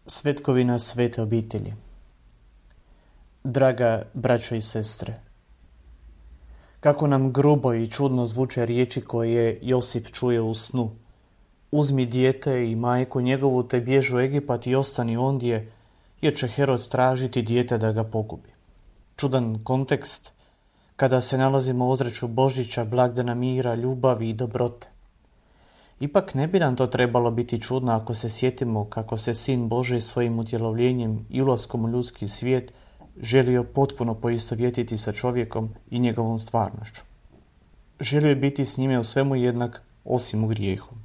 Svetkovina svete obitelji. Draga braćo i sestre, kako nam grubo i čudno zvuče riječi koje Josip čuje u snu. Uzmi dijete i majku njegovu te bježi u Egipat i ostani ondje, jer će Herod tražiti dijete da ga pogubi. Čudan kontekst kada se nalazimo u ozračju Božića, blagdana mira, ljubavi i dobrote. Ipak ne bi nam to trebalo biti čudno ako se sjetimo kako se Sin Božji svojim utjelovljenjem i ulaskom u ljudski svijet želio potpuno poistovjetiti sa čovjekom i njegovom stvarnošću. Želio je biti s njime u svemu jednak, osim u grijehu.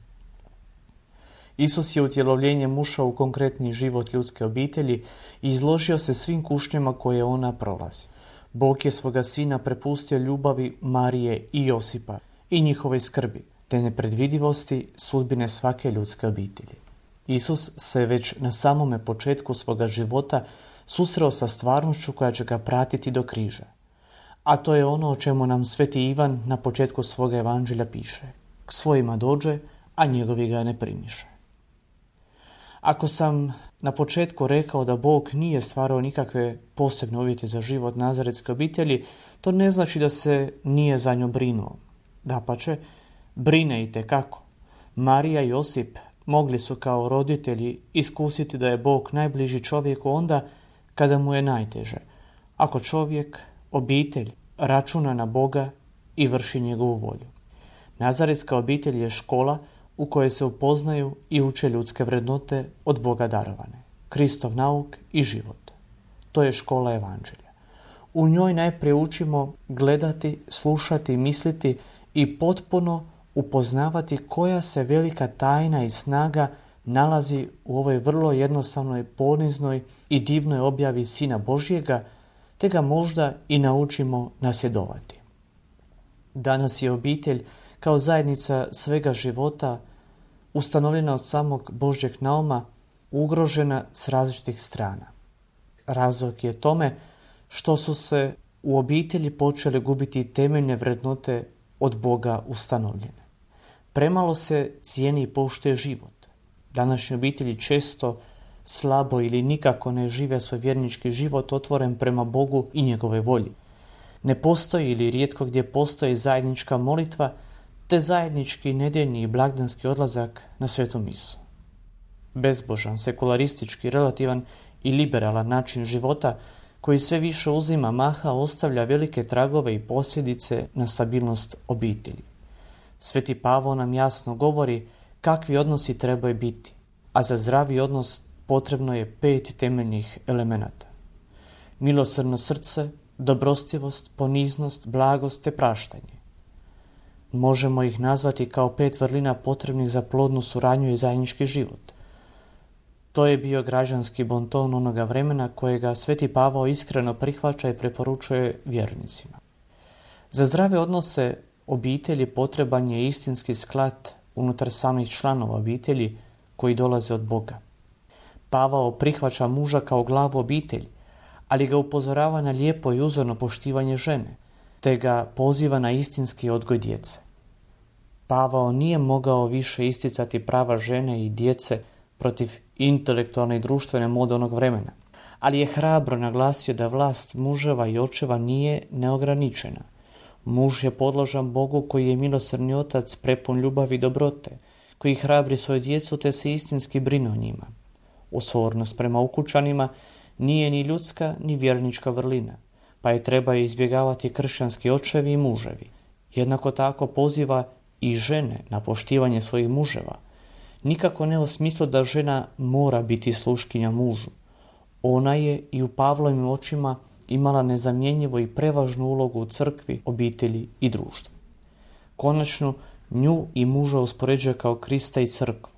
Isus je utjelovljenjem ušao u konkretni život ljudske obitelji i izložio se svim kušnjama koje ona prolazi. Bog je svoga Sina prepustio ljubavi Marije i Josipa i njihove skrbi, te nepredvidivosti sudbine svake ljudske obitelji. Isus se već na samome početku svoga života susreo sa stvarnošću koja će ga pratiti do križa. A to je ono o čemu nam sveti Ivan na početku svoga evanđelja piše. K svojima dođe, a njegovi ga ne primiše. Ako sam na početku rekao da Bog nije stvarao nikakve posebne uvjete za život nazaretske obitelji, to ne znači da se nije za nju brinuo. Dapače, brine itekako. Marija i Josip mogli su kao roditelji iskusiti da je Bog najbliži čovjeku onda kada mu je najteže, ako čovjek, obitelj, računa na Boga i vrši njegovu volju. Nazaretska obitelj je škola u kojoj se upoznaju i uče ljudske vrednote od Boga darovane, Kristov nauk i život. To je škola evanđelja. U njoj najprije učimo gledati, slušati, misliti i potpuno upoznavati koja se velika tajna i snaga nalazi u ovoj vrlo jednostavnoj, poniznoj i divnoj objavi Sina Božjega, te ga možda i naučimo nasljedovati. Danas je obitelj kao zajednica svega života, ustanovljena od samog Božjeg nauma, ugrožena s različitih strana. Razlog je tome što su se u obitelji počele gubiti temeljne vrednote od Boga ustanovljene. Premalo se cijeni i poštuje život. Današnje obitelji često slabo ili nikako ne žive svoj vjernički život otvoren prema Bogu i njegove volji. Ne postoji ili rijetko gdje postoji zajednička molitva te zajednički nedjeljni i blagdanski odlazak na svetu misu. Bezbožan, sekularistički, relativan i liberalan način života koji sve više uzima maha ostavlja velike tragove i posljedice na stabilnost obitelji. Sveti Pavao nam jasno govori kakvi odnosi trebaju biti, a za zdravi odnos potrebno je 5 temeljnih elemenata. Milosrdno srce, dobrostivost, poniznost, blagost te praštanje. Možemo ih nazvati kao 5 vrlina potrebnih za plodnu suradnju i zajednički život. To je bio građanski bonton onoga vremena kojega sveti Pavao iskreno prihvaća i preporučuje vjernicima. Za zdrave odnose obitelji potreban je istinski sklad unutar samih članova obitelji koji dolaze od Boga. Pavao prihvaća muža kao glavu obitelji, ali ga upozorava na lijepo i uzorno poštivanje žene, te ga poziva na istinski odgoj djece. Pavao nije mogao više isticati prava žene i djece protiv intelektualne i društvene mode onog vremena, ali je hrabro naglasio da vlast muževa i očeva nije neograničena. Muž je podložan Bogu koji je milosrdni otac prepun ljubavi i dobrote, koji hrabri svoju djecu te se istinski brine o njima. Osornost prema ukućanima nije ni ljudska ni vjernička vrlina, pa je treba izbjegavati kršćanski očevi i muževi. Jednako tako poziva i žene na poštivanje svojih muževa. Nikako ne u smislu da žena mora biti sluškinja mužu. Ona je i u Pavlovim očima imala nezamjenjivu i prevažnu ulogu u crkvi, obitelji i društvu. Konačno, nju i muža uspoređuje kao Krista i crkvu.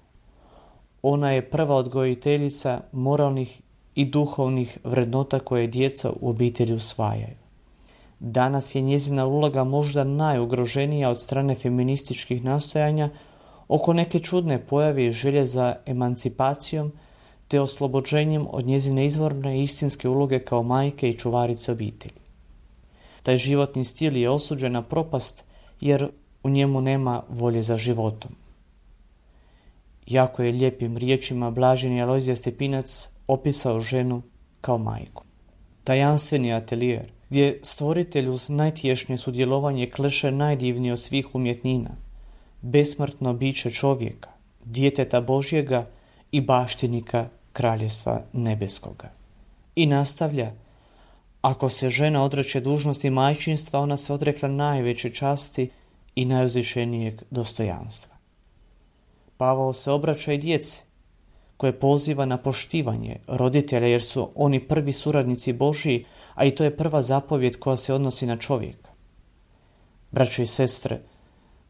Ona je prva odgojiteljica moralnih i duhovnih vrednota koje djeca u obitelji usvajaju. Danas je njezina uloga možda najugroženija od strane feminističkih nastojanja oko neke čudne pojave i želje za emancipacijom te oslobođenjem od njezine izvorne i istinske uloge kao majke i čuvarice obitelji. Taj životni stil je osuđen na propast jer u njemu nema volje za životom. Jako je lijepim riječima blaženi Alojzije Stepinac opisao ženu kao majku. Tajanstveni atelijer, gdje stvoritelj uz najtješnje sudjelovanje kleše najdivnije od svih umjetnina, besmrtno biće čovjeka, djeteta Božjega i baštinika Kraljevstva nebeskoga. I nastavlja: ako se žena odreće dužnosti majčinstva, ona se odrekla najveće časti i najuzvišenijeg dostojanstva. Pavao se obraća i djeci, koje poziva na poštivanje roditelja, jer su oni prvi suradnici Božji, a i to je prva zapovjed koja se odnosi na čovjeka. Braćo i sestre,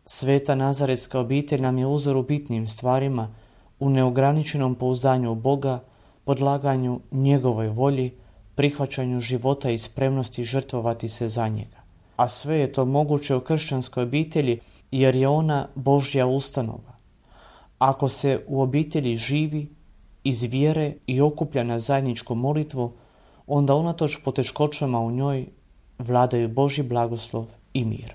sveta nazaretska obitelj nam je uzor u bitnim stvarima, u neograničenom pouzdanju u Boga, podlaganju njegovoj volji, prihvaćanju života i spremnosti žrtvovati se za njega. A sve je to moguće u kršćanskoj obitelji, jer je ona Božja ustanova. Ako se u obitelji živi iz vjere i okuplja na zajedničku molitvu, onda unatoč poteškoćama u njoj vladaju Božji blagoslov i mir.